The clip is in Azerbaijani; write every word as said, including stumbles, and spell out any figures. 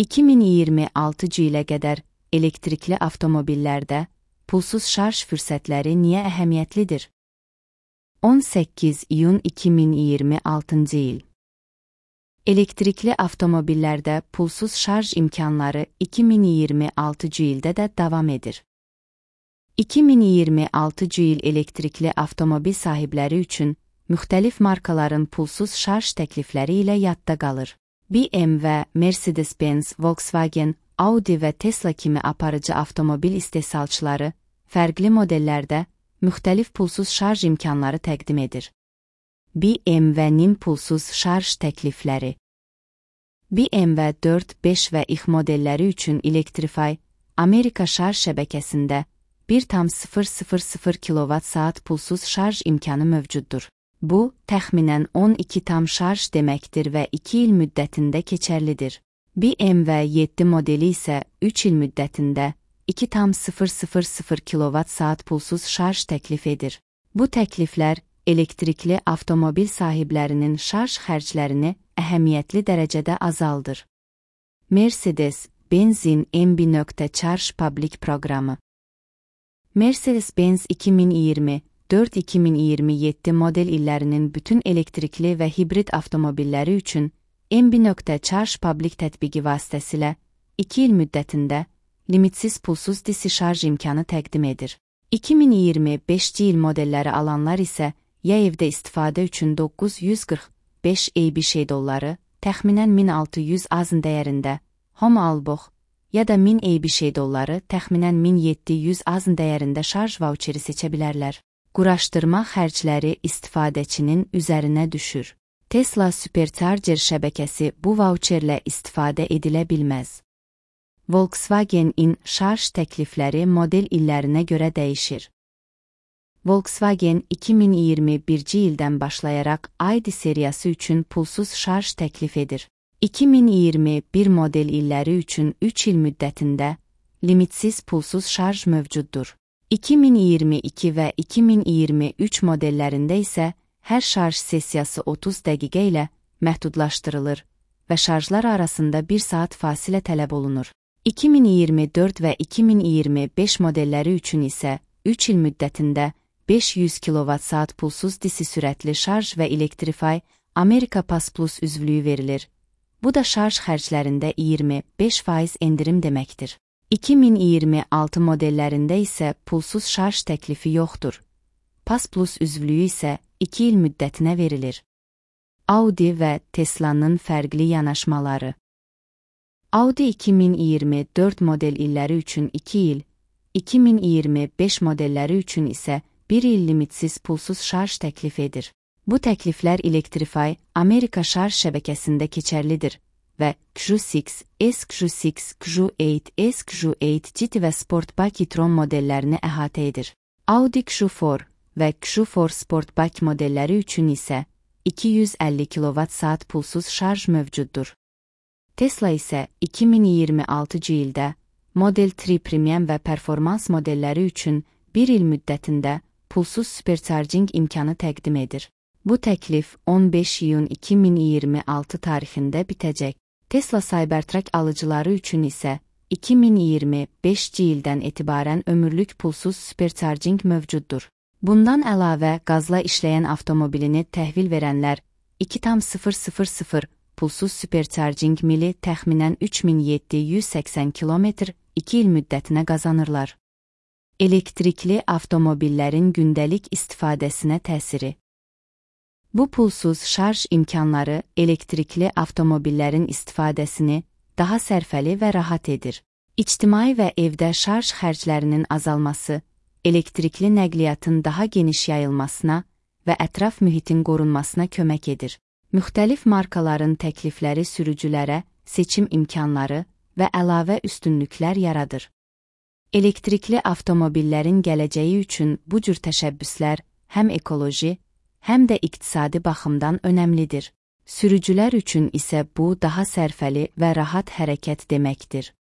iki min iyirmi altıncı ilə qədər elektrikli avtomobillərdə pulsuz şarj fürsətləri niyə əhəmiyyətlidir? on səkkiz iyun iki min iyirmi altıncı il. Elektrikli avtomobillərdə pulsuz şarj imkanları iki min iyirmi altıncı ildə də davam edir. iki min iyirmi altıncı il elektrikli avtomobil sahibləri üçün müxtəlif markaların pulsuz şarj təklifləri ilə yadda qalır. B M W, Mercedes-Benz, Volkswagen, Audi və Tesla kimi aparıcı avtomobil istehsalçıları fərqli modellərdə müxtəlif pulsuz şarj imkanları təqdim edir. B M W-nin pulsuz şarj təklifləri. B M W dörd, beş və X modelləri üçün Electrify, Amerika şarj şəbəkəsində bir tam sıfır sıfır sıfır kilovat saat pulsuz şarj imkanı mövcuddur. Bu, təxminən on iki tam şarj deməkdir və iki il müddətində keçərlidir. B M W yeddi modeli isə üç il müddətində iki tam sıfır sıfır sıfır kilovat saat pulsuz şarj təklif edir. Bu təkliflər elektrikli avtomobil sahiblərinin şarj xərclərini əhəmiyyətli dərəcədə azaldır. Mercedes-Benz'in M B Charge Public proqramı. Mercedes-Benz iki min iyirmi dörd iki min iyirmi yeddi model illərinin bütün elektrikli və hibrid avtomobilləri üçün M B Charge Public tətbiqi vasitəsilə iki il müddətində limitsiz pulsuz D C şarj imkanı təqdim edir. iki min iyirmi beşinci il modelləri alanlar isə ya evdə istifadə üçün doqquz yüz qırx beş A B Ş dolları, təxminən min altı yüz azın dəyərində, Home Albox, ya da min A B Ş dolları, təxminən min yeddi yüz azın dəyərində şarj vauçeri seçə bilərlər. Quraşdırma xərcləri istifadəçinin üzərinə düşür. Tesla Supercharger şəbəkəsi bu vauçerlə istifadə edilə bilməz. Volkswagen-in şarj təklifləri model illərinə görə dəyişir. Volkswagen iki min iyirmi birinci ildən başlayaraq I D seriyası üçün pulsuz şarj təklif edir. iki min iyirmi bir model illəri üçün üç il müddətində limitsiz pulsuz şarj mövcuddur. iki min iyirmi iki və iki min iyirmi üç modellərində isə hər şarj sessiyası otuz dəqiqə ilə məhdudlaşdırılır və şarjlar arasında bir saat fasilə tələb olunur. iki min iyirmi dörd və iki min iyirmi beş modelləri üçün isə üç il müddətində beş yüz kilovat saat pulsuz D C sürətli şarj və Electrify, Amerika Pass Plus üzvlüyü verilir. Bu da şarj xərclərində iyirmi beş faiz endirim deməkdir. iki min iyirmi altı modellərində isə pulsuz şarj təklifi yoxdur. Pass Plus üzvlüyü isə iki il müddətinə verilir. Audi və Tesla'nın fərqli yanaşmaları. Audi iki min iyirmi dörd model illəri üçün iki il, iki min iyirmi beş modelləri üçün isə bir il limitsiz pulsuz şarj təklif edir. Bu təkliflər Electrify, Amerika şarj şəbəkəsində keçərlidir və Q altı, S Q altı, Q osem, S Q osem G T və Sportback e-tron modellərini əhatə edir. Audi Q dörd və Q dörd Sportback modelləri üçün isə iki yüz əlli kilovat saat pulsuz şarj mövcuddur. Tesla isə iki min iyirmi altıncı ildə Model üç Premium və Performans modelləri üçün bir il müddətində pulsuz supercharging imkanı təqdim edir. Bu təklif on beş iyun iki min iyirmi altı tarixində bitəcək. Tesla Cybertruck alıcıları üçün isə iki min iyirmi beşinci ildən etibarən ömürlük pulsuz supercharging mövcuddur. Bundan əlavə qazla işləyən avtomobilini təhvil verənlər iki tam sıfır sıfır sıfır pulsuz supercharging mili təxminən üç min yeddi yüz səksən kilometr iki il müddətinə qazanırlar. Elektrikli avtomobillərin gündəlik istifadəsinə təsiri. Bu pulsuz şarj imkanları elektrikli avtomobillərin istifadəsini daha sərfəli və rahat edir. İctimai və evdə şarj xərclərinin azalması, elektrikli nəqliyyatın daha geniş yayılmasına və ətraf mühitin qorunmasına kömək edir. Müxtəlif markaların təklifləri sürücülərə seçim imkanları və əlavə üstünlüklər yaradır. Elektrikli avtomobillərin gələcəyi üçün bu cür təşəbbüslər həm ekoloji, həm də iqtisadi baxımdan önəmlidir. Sürücülər üçün isə bu daha sərfəli və rahat hərəkət deməkdir.